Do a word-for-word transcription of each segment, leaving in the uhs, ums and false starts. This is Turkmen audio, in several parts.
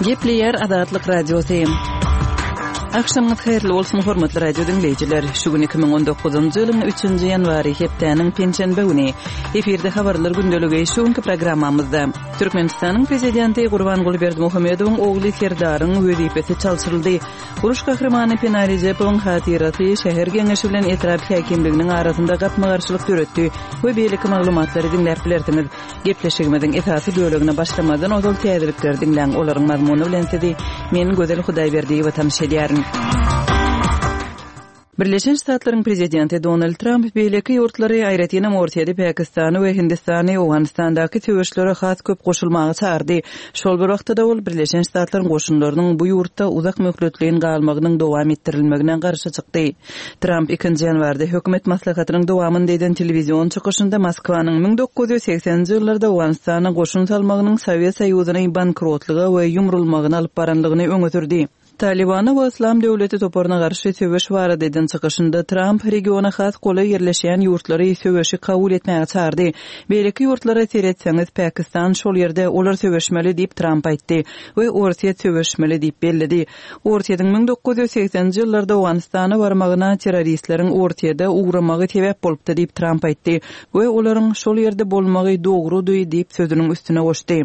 Gepleýär Azatlyk Radiosy. Agşamyňyz haýyrly bolsun, hormatly radio diňleýjiler. Şu gün iki müň on dokuzynjy ýylyň üçünji ýanwary, hepdäniň penşenbe güni. Efirde habarlar gündeligi şu günki programmamyzda. Türkmenistanyň Prezidenti Gurbanguly Berdimuhamedowyň ogly Serdaryň wezipesi çalşyryldy. Uruş gahrymany Pena Rejepowyň hatyrasy şäher geňeşi bilen etrap häkimliginiň arasynda gapma-garşylyk döretdi we beýleki maglumatlary diňläp bilersiňiz. Gepleşigimiziň esasy bölegine başlamazdan ozal täzelikleri diňläň, olaryň mazmuny bilen sizi men Gözel Hudaýberdiýewa tanyş edýärin. Birleşen Ştatlaryň Prezidenti Donald Tramp beýleki ýurtlary, aýratynam Orsýeti, Pakistany we Hindistany Owganystandaky söweşlere has köp goşulmaga çagyrdy. Şol bir wagtda-da ol Birleşen Ştatlaryň goşunlarynyň bu ýurtda uzak möhletleýin galmagynyň dowam etdirilmegine garşy çykdy. Tramp ikinji ýanwarda hökümet maslahatynyň dowamynda eden telewizion çykyşynda Moskwanyň müň dokuz ýüz segseninji ýyllarda Owganystana goşun salmagynyň Sowet Soýuzyny bankrotlyga we ýumrulmagyna alyp baranlygyny öňe sürdi. Talibana we Yslam döwleti toparyna garşy söweş barada eden çykyşynda Tramp regiona has golaý ýerleşýän ýurtlary söweşi kabul etmäge çagyrdy. Beýleki ýurtlara seretseňiz, Pakistan şol ýerde olar söweşmeli diýip Tramp aýtdy we Orsýet söweşmeli diýip belledi. Orsýetiň müň dokuz ýüz segseninji ýyllarda Owganystana barmagyna terroristleriň Orsýede ugramagy sebäp bolupdy diýip Tramp aýtdy we olaryň şol ýerde bolmagy dogrudy diýip sözüniň üstüne goşdy.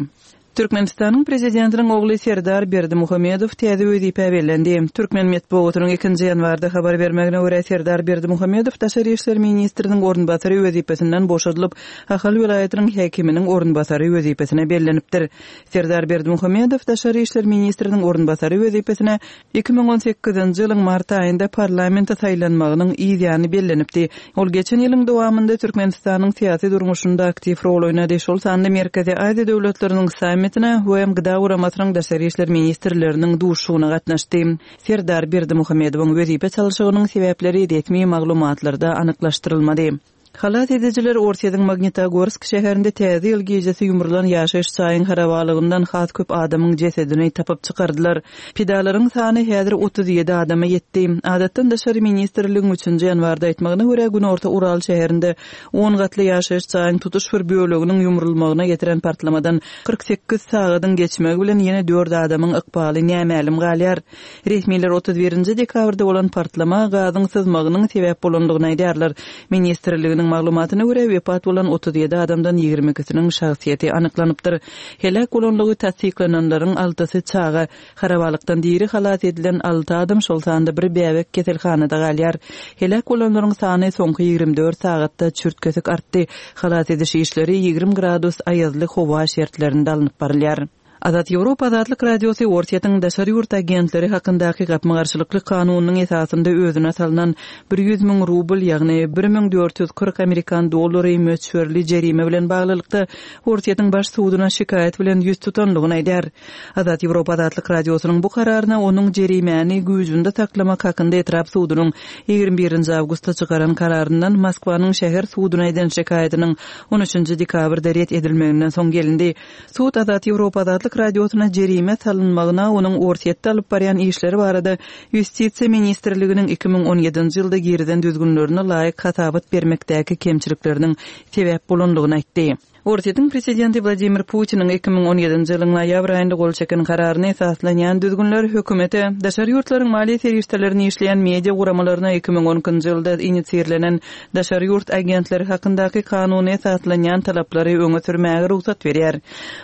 Türkmenistanyň Prezidentiniň ogly Serdar Berdimuhamedow täze wezipä bellendi. Türkmen metbugatynyň ikinji ýanwarda habar bermegine görä Serdar Berdimuhamedow Daşary işler ministriniň orunbasary wezipesinden boşadylyp, Ahal welaýatynyň häkiminiň orunbasary wezipesine bellenipdir. Serdar Berdimuhamedow Daşary işler ministriniň orunbasary wezipesine iki müň on sekizinji ýylyň mart aýynda parlamente saýlanmagynyň yz ýany bellenipdi. Ol geçen ýylyň dowamynda Türkmenistanyň syýasy durmuşynda aktiw rol oýnady. Şol sanda Merkezi Aziýa döwletleriniň sammitine we Gıda guramasynyň Daşary işler ministrleriniň duşugyna gatnaşdy. Serdar Berdimuhamedowyň wezipe çalşygynyň sebäpleri resmi maglumatlarda anyklaşdyrylmady. Halas edijiler Orsýetiň Magnitogorsk şäherinde täze ýyl gijesi ýumrulan ýaşaýyş jaýyň harabalygyndan has köp adamyň jesedini tapyp çykardylar. Pidalaryň sany häzir otuz ýedi adama ýetdi. Adatdan daşary ministrligiň üçünji ýanwarda aýtmagyna görä Günorta Ural şäherinde on gatly ýaşaýyş jaýyň tutuş bir böleginiň ýumrulmagyna getiren partlamadan kyrk sekiz sagadyň geçmegi bilen ýene dört adamyň ykbaly nämälim galýar. Resmiler otuz birinji dekabrda bolan partlama gazyň syzmagynyň sebäp bolandygyny aýdýarlar. Ministrliginiň maglumatyna görä wepat bolan otuz ýedi adamdan ýigrimi ikisiniň şahsyýeti anyklanypdyr. Helak bolanlygy tassyklananlaryň altysy çaga, harabalykdan diri halas edilen alty adam şol sanda bir bäbek keselhanada galýar. Helak bolanlaryň sany soňky ýigrimi dört sagatda çürt-kesik artdy. Halas ediş işleri ýigrimi gradus aýazly howa şertlerinde alnyp barylýar. Azat Ýewropa Azatlyk Radiosy Orsýetiň daşary ýurt agentleri hakyndaky gapma-garşylykly kanunynyň esasynda özüne salynan bir ýüz müň rubl, ýagny bir müň dört ýüz kyrk amerikan dollary möçberli jerime bilen baglylykda Orsýetiň baş suduna şikaýat bilen ýüz tutanlygyny aýdar. Azat Ýewropa Azatlyk Radiosynyň bu kararyna onuň jerimäni güýjünde saklamak hakynda etrap sudunyň ýigrimi birinji awgustda çykaran kararyndan Moskwanyň şäher suduna eden şikaýatynyň on üçünji dekabrda ret edilmeginden soň gelindi. Sud Azat Ýewropa Azatlyk Radiosyna jerime salynmagyna onuň Orsýetde alyp barýan işleri barada Ýustisiýa ministrliginiň iki müň on ýedinji ýylda girizen düzgünlerine laýyk hasabat bermekdäki kemçilikleriniň sebäp bolanlygyny aýtdy. Orsýetiň prezidenti Wladimir Putiniň iki müň on ýedinji ýylyň noýabr aýynda gol çeken kararyna esaslanýan düzgünler hökümete daşary ýurtlaryň maliýe serişdelerini işleýän media guramalaryna iki müň on ikinji ýylda inisiirlenen daşary ýurt agentleri hakyndaky kanuny esaslanýan talaplary öňe sürmäge rugsat berýär.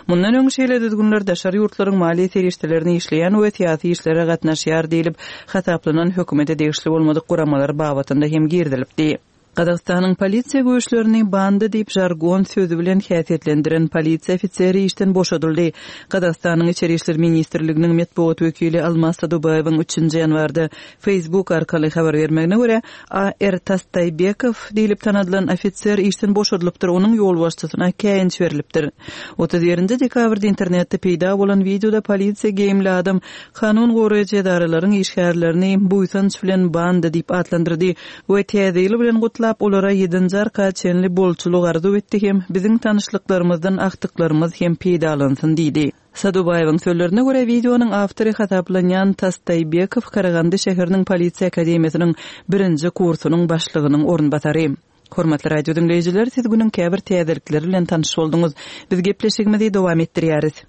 Mundan öň şeýle düzgünler daşary ýurtlaryň maliýe serişdelerini işleýän we syýasy işlere gatnaşýar diýlip hasaplanan hökümete degişli bolmadyk guramalar babatynda hem girizilipdi. Gazagystanyň polisiýa güýçlerini banda diýip jargon sözi bilen häsiýetlendiren polisiýa ofiseri işden boşadyldy. Gazagystanyň Içeri işler ministrliginiň metbugat wekili Almaz Sadubaýewiň üçünji ýanwarda Facebook arkaly habar bermegine görä A R Tastaýbekow diýlip tanadylan ofiser işden boşadylypdyr, onuň ýolbaşçysyna käýinç berilipdir. Otuz birinji dekabrda internetde peýda bolan wideoda polisiýa geýimli adam kanun goraýjy edaralaryň işgärlerini buýsanç bilen banda diýip atlandyrdy we täze ýyl bilen gutlap olara ýedinji arka çenli bolçulyk arzuw etdi hem biziň tanyşlyklarymyzdan ahtyklarymyz hem peýdalansyn diýdi. Sadubaýewiň sözlerine görä wideonyň awtory hasaplanýan Tastaýbekow Karagandy şäheriniň polisiýa akademiýasynyň birinji kursunyň başlygynyň orunbasary. Hormatly radio diňleýjiler, siz günüň käbir täzelikleri bilen tanyş bolduňyz. Biz gepleşigimizi dowam etdirýäris.